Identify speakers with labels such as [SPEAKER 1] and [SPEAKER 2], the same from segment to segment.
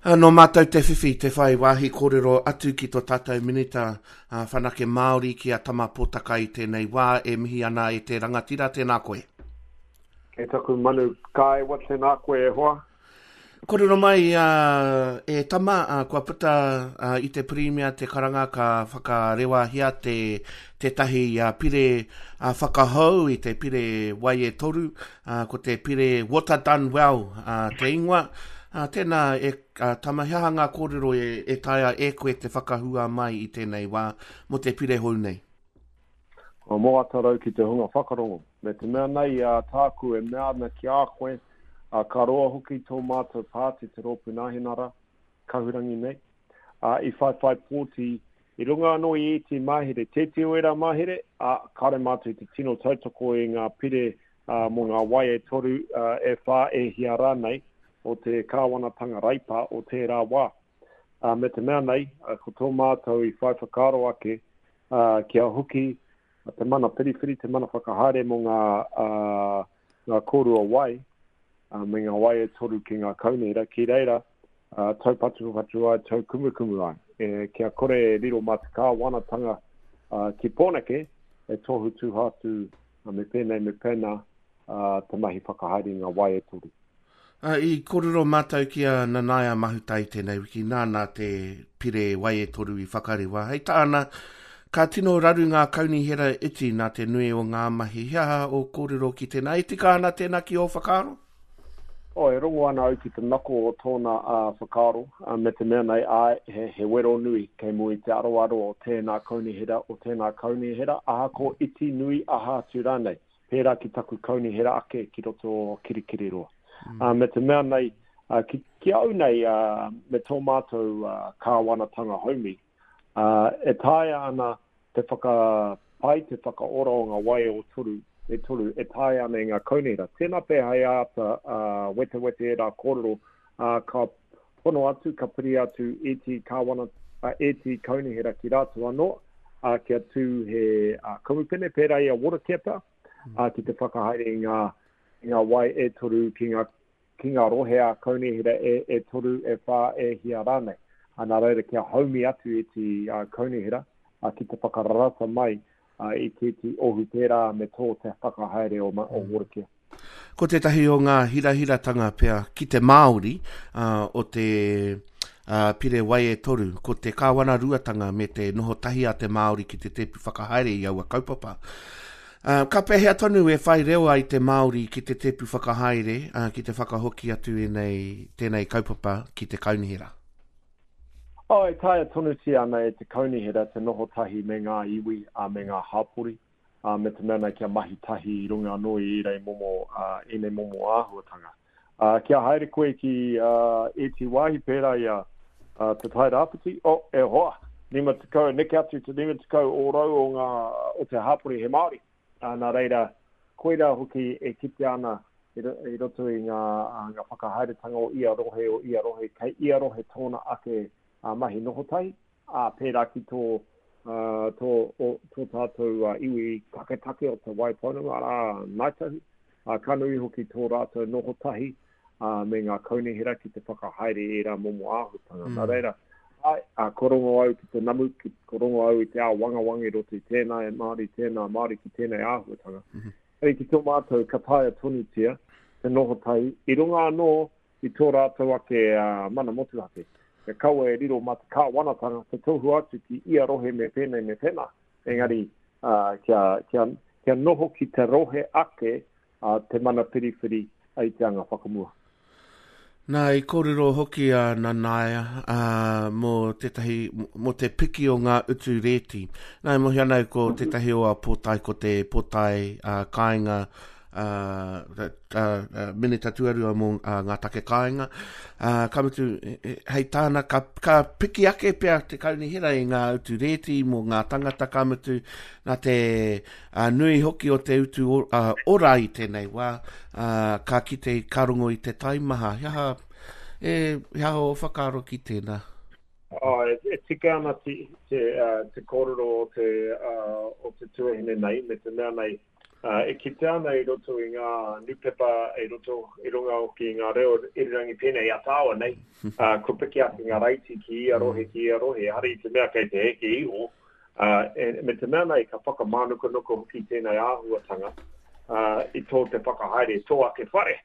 [SPEAKER 1] Nō mātou te whiwhi te whai wāhi kōrero atu ki tō tātou Minita Whanake Māori ki a Tama Potaka i tēnei wā e mihi ana e te rangatira, tēnā koe.
[SPEAKER 2] E taku manu kāewa, tēnā koe e hoa.
[SPEAKER 1] Kōrero mai e Tama, kua puta i te Pirimia te karanga ka whakarewahia te tētahi pire whakahou i te pire wai e toru, ko te pire Water Done Well te ingoa. Tēnā e Tama, he aha ngā kōrero e taea e koe te whakahua mai i tēnei wā mō te pire hou nei?
[SPEAKER 2] Kua moata rau ki te hunga whakarongo. Me te mea nei a tāku e mea ana ki a koe, ā, ka roa hoki tō mātou pāti te Rōpū Nāhinara, Kahurangi nei, ā, i whaiwhai pōti i runga anō i ēti mahere, tēti o ērā mahere, ā, kāore mātou i te tino tautoko i ngā pire ā, mō ngā wai e toru, ā, e whā, e hia rānei o te kāwanatanga Reipa o tērā wā. Ā, me te mea nei, ā, ko tō mātou i whai whakaaro ake, ā, kia hoki te mana whiriwhiri, te mana whakahaere mō ngā, ā, ngā kōrua wai, ā, me ngā wai e toru ki ngā kaunihera, ki reira, ā, taupatupatu ai, taukumukumu ai, e, kia kore e riro mā te kāwanatanga, ā, ki Pōneke e tohu tuha atu, ā, me pēnei, me pēnā, ā, te mahi whakahaere i ngā wai e toru.
[SPEAKER 1] Ā, i kōrero mātou ki a Nanaia Mahuta i tēnei wiki, nāna te pire wai e toru i whakarewa. Hei tāna, ka tino raru ngā kaunihera iti nā te nui o ngā mahi. He aha ō kōrero ki tēnā? E tika ana tēnā ki ō whakaaro?
[SPEAKER 2] Oh, e rongo ana au ki te nako o tōna whakaaro, me te mea nei, āe, he, he wero nui kei mua i te aroaro o tēnā kaunihera, o tēnā kaunihera, ahako iti, nui, aha atu rānei. pērā ki taku kaunihera ake ki roto o Kirikiriroa. Mm. Uh, me te mea nei, uh, ki, ki au nei, uh, me tō mātou uh, kāwanatanga haumi, uh, e taea ana te whakapai, te whakaora o ngā wai o toru, e toru, e taea ana e ngā kaunihera. Tēnā pea hei āta uh, wetewete ērā kōrero, uh, ka hono atu, ka piri atu ētehi kāwana, uh, ētehi kaunihera ki rātou anō, uh, kia tū he uh, kamupene pērā i a Waterkeeper, uh, ki te whakahaere i ngā, i ngā wai e toru ki ngā, ki ngā rohe a kaunihera e, e toru, e whā, e hia rānei. Uh, nā reira kia haumi atu ētehi uh, kaunihera uh, ki te whakararata mai uh, i tētehi ohu pērā me tō te whakahaere o, o mm. Watercare.
[SPEAKER 1] Ko tētahi o ngā hirahiratanga pea ki te Māori o te Pire Wai e Toru, ko te kāwanaruatanga me te noho tahi a te Māori ki te tēpu whakahaere i aua kaupapa. Ka pēhea tonu e whai reo ai te Māori ki te tēpu whakahaere, ki te whakahoki atu ēnei, tēnei kaupapa ki te kaunihera?
[SPEAKER 2] Oh, e taea tonutia ana e te kaunihera te noho tahi me ngā iwi, me ngā hapori. ā, me te mea nei kia mahi tahi i runga anō i ērei momo, ā, ēnei momo āhuatanga. Ā, kia haere koe ki, ā, ētehi wāhi pērā i a, ā, Te Tai Rāwhiti, oh, e hoa, 50, neke atu te 50 ōrau o ngā, o te hāpori he Māori. Ā, nā reira, koirā hoki e kitea ana i, i roto i ngā, ā, ngā whakahaeretanga o ia rohe, o ia rohe, kei ia rohe tōna ake, ā, mahi noho tahi. ā, pērā ki tō, ā, tō, o, tō tātou iwi taketake o Te Waipounamu, arā, Ngāi Tahu, ā, ka nui hoki tō rātou noho tahi, ā, me ngā kaunihera ki te whakahaere i ērā momo āhuatanga. Mm. Nā reira, āe, ā, ko rongo au ki te namu, ki, ko rongo au i te āwangawanga i roto i tēnā e Māori, tēnā Māori ki tēnei āhuatanga. Mm -hmm. Engari ki tō mātou, ka taea tonutia te noho tahi, i runga anō i tō rātou ake mana motuhake. Kia kaua e riro mā te kāwanatanga te tohu atu ki ia rohe me pēnei me pēnā, engari kia, kia, kia noho ki te rohe ake te mana whiriwhiri i te anga whakamua.
[SPEAKER 1] Nā, i kōrero hoki a Nanaia ā, mō tētahi, mō te piki o ngā utu rēti. Nā, e mōhio ana au ko tētahi o a pōtae, ko te pōtae ā, kāinga Minita Tuarua mō ngā take kāinga. Ka mutu, hei tāna, ka, ka piki ake pea te kaunihera i ngā utu rēti mō ngā tangata, ka mutu, nā te nui hoki o te utu ora i tēnei wā, ka kite, ka rongo i te taimaha. He aha, e, he aha ō whakaaro ki tēnā?
[SPEAKER 2] Oh, e, e tika ana te, te, uh, te kōrero o te, uh, o te tuahine nei, me te mea nei, E kitea ana i roto i ngā nūpepa, i roto, i runga hoki i ngā reo irirangi pēnei i a tāua nei, kua piki ake ngā raiti ki ia rohe, ki ia rohe, ehara i te mea kei te heke iho, me te mea nei ka whakamānukanuka hoki tēnei āhuatanga i tō te whakahaere tō ake whare,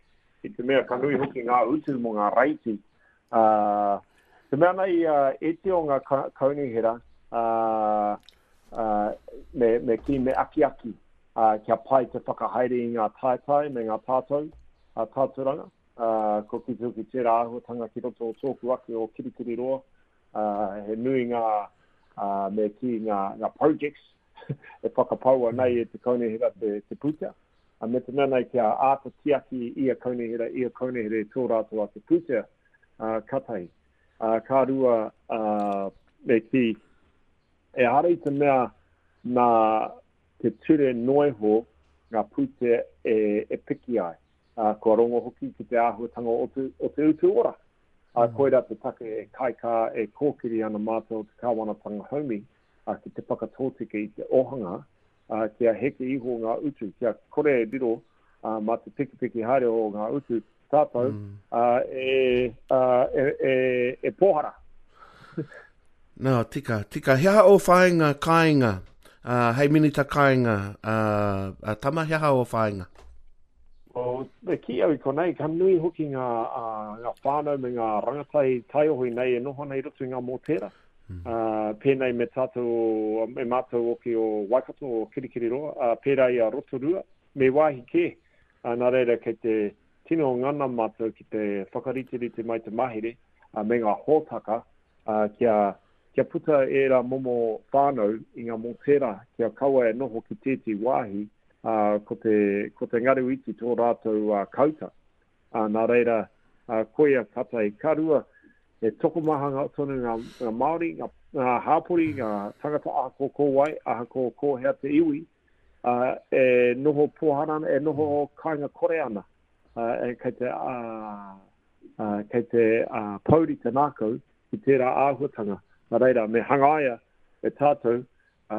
[SPEAKER 2] i te mea ka nui hoki ngā utu mō ngā raiti. Te mea nei iti o ngā kaunihera, me kī, me akiaki kia pai te whakahaere i ngā taetae me ngā tātou, tāturanga. Kua kite hoki tērā āhuatanga ki roto o tōku ake o Kirikiriroa, he nui ngā, me kī, ngā, ngā projects e whakapaua nei e te kaunihera te, te pūtea. Me te mea nei kia āta tiaki ia kaunihera, ia kaunihera i tō rātou ake pūtea, ka tahi. Ka rua, me kī, ehara i te mea nā te ture noa iho ngā pūtea e, e piki ai. Kua rongo hoki ki te āhuatanga o te, o te utu ora. Ā, koirā te take e kaikā, e kōkiri ana mātou o te kāwanatanga haumi ki te whakatōtika i te ōhanga, ā, kia heke iho ngā utu, kia kore e riro mā te pikipiki haere o ngā utu tātou e, e, e, e pōhara.
[SPEAKER 1] Nā, tika, tika. He aha ō whāinga kāinga, uh, hei minita kāinga, uh, uh, Tama, he aha ō whāinga?
[SPEAKER 2] Oh, me kī au i konei, ka nui hoki ngā, uh, ngā whānau me ngā rangatahi taiohi nei e noho ana i roto i ngā mōtēra. Mm. Uh, pēnei me tātou, me mātou hoki o Waikato, o Kirikiriroa, uh, pērā i a Rotorua, me wāhi kē. Uh, nā reira, kei te tino ngana mātou ki te whakariterite mai te mahere uh, me ngā hōtaka uh, kia, kia puta ērā momo whānau i ngā mōtēra, kia kaua e noho ki tēti wāhi, uh, ko, te, ko te ngaru iti tō rātou uh, kauta. Ā, nā reira, ā, koia ka tahi. Ka rua, he tokomaha ngā, tonu ngā, ngā Māori, ngā, ngā hāpori, ngā tangata ahakoa ko wai, ahakoa ko hea te iwi, ā, e noho pōhara ana, e noho kāinga kore ana, ā, e, kei te, ā, ā, kei te ā, pouri te ngākau ki tērā āhuatanga. Nā reira, me hangaia e tātou ā,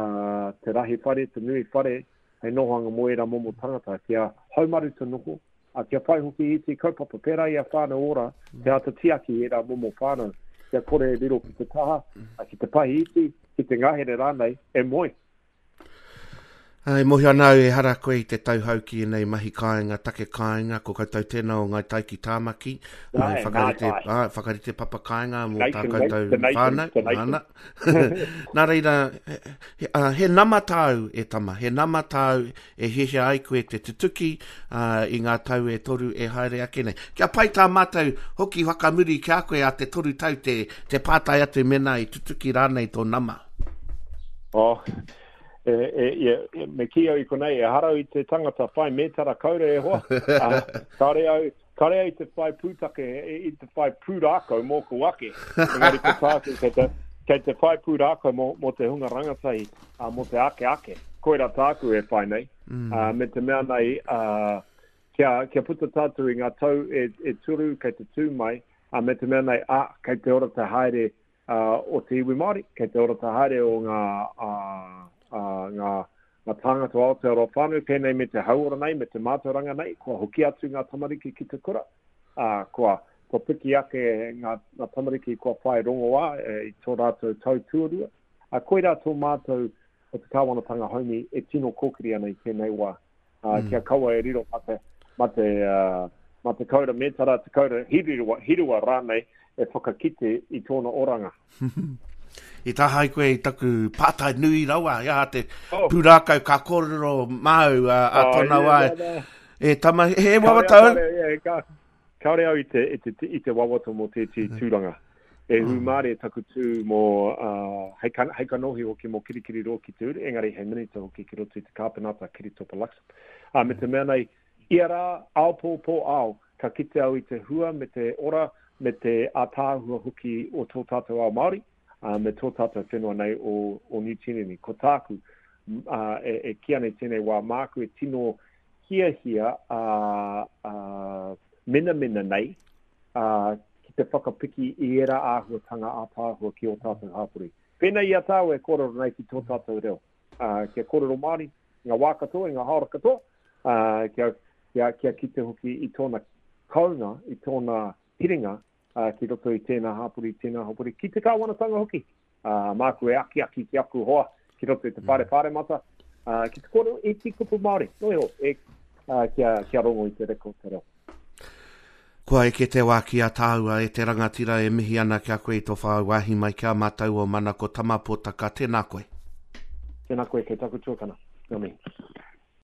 [SPEAKER 2] te rahi whare, te nui whare, hei nohoanga mō ērā momo tangata, kia haumaru te noho, ā, kia whai hoki i te kaupapa, pērā i a Whānau Ora, te āta tiaki i ērā momo whānau, kia kore e riro ki te taha, ā, ki te pahi iti, ki te ngahere rānei, e moe.
[SPEAKER 1] Ā, e mōhio ana au ehara koe i te tauhou ki ēnei mahi kāinga, take kāinga, ko koutou tēnā o Ngāi Tai ki Tāmaki, ā, i whakarite, ā, whakarite papa kāinga mō tā koutou whānau, nāna. Nā reira, he, he, ā, he nama tāu e tama, he nama tāu e hiahia ai koe te tutuki ā, i ngā tau e toru e haere ake nei. Kia pai tā mātou hoki whakamuri ki a koe a te toru tau te, te pātai atu mēnā i tutuki rānei tō nama.
[SPEAKER 2] Oh, e, e, e, me kī au i konei, ehara au i te tangata whai mētara kaure e hoa. Uh, kāre au, kāre au i te whai pūtake, i te whai pūrākau mōku ake. Engari ko tāku, kei te, kei te whai pūrākau mō, mō te hunga rangatahi, uh, mō te ake ake. Koira tāku e whai nei. Mm. Uh, me te mea nei, uh, kia, kia puta tātou i ngā tau e, e turu kei te tū mai, uh, me te mea nei, ah, kei te ora te haere o te iwi Māori, kei te ora te haere o ngā, ngā, ngā tāngata o Aotearoa whānui, pēnei me te hauora nei, me te mātauranga nei, kua hoki atu ngā tamariki ki te kura, ā, kua, kua piki ake ngā, ngā tamariki kua whai rongoā e, i tō rātou tau tuarua. Ā, koirā tō mātou o te kāwanatanga haumi e tino kōkiri ana i tēnei wā. Ā, kia kaua e riro mā te, mā te, mā te kaura mētara, te kaura hiriwa, hirua rānei e whakakite i tōna oranga.
[SPEAKER 1] I tahae koe i taku pātai nui rawa, he aha te oh. pūrākau ka kōrero māu a, a oh, tōna wā. E tama, he wawata au?
[SPEAKER 2] Kāore au i te, i te, i te wawata mō tētehi tūranga. E hūmārie taku tū mō, uh, hei, ka, hei kanohi hoki mō Kirikiriroa ki te uru, engari hei minita hoki ki roto i te kāpenata Kiritopa Luxon. Uh, me te mea nei, ia rā, ao pō, pō ao, ka kite au i te hua me te ora me te ātaahua hoki o tō tātou ao Māori, uh, me tō tātou whenua nei o, o Niu Tīreni. Ko tāku, uh, e, e kī ana i tēnei wā, māku e tino hiahia a, a menamena nei a, ki te whakapiki i ērā āhuatanga ātaahua ki ō tātou hapori. Pēnei i a tāua e kōrero nei ki tō tātou reo, ā, kia kōrero Māori i ngā wā katoa, i ngā haora katoa, Ā, kia, kia, kia kite hoki i tōna kounga, i tōna piringa, ā, ki roto i tēnā hapori, tēnā hapori, ki te kāwanatanga hoki. Ā, māku e akiaki ki aku hoa ki roto i te whare pāremata, ā, ki te kōrero iti kupu Māori, noa iho, e, ā, kia, kia rongo i te reka o te reo.
[SPEAKER 1] Kua eke te wā ki a tāua e te rangatira e mihi ana ki a koe i tō whai wāhi mai ki a mātou o Mana ko Tama Potaka, tēnā koe.
[SPEAKER 2] Tēnā koe kei taku tuakana. Ngā mihi.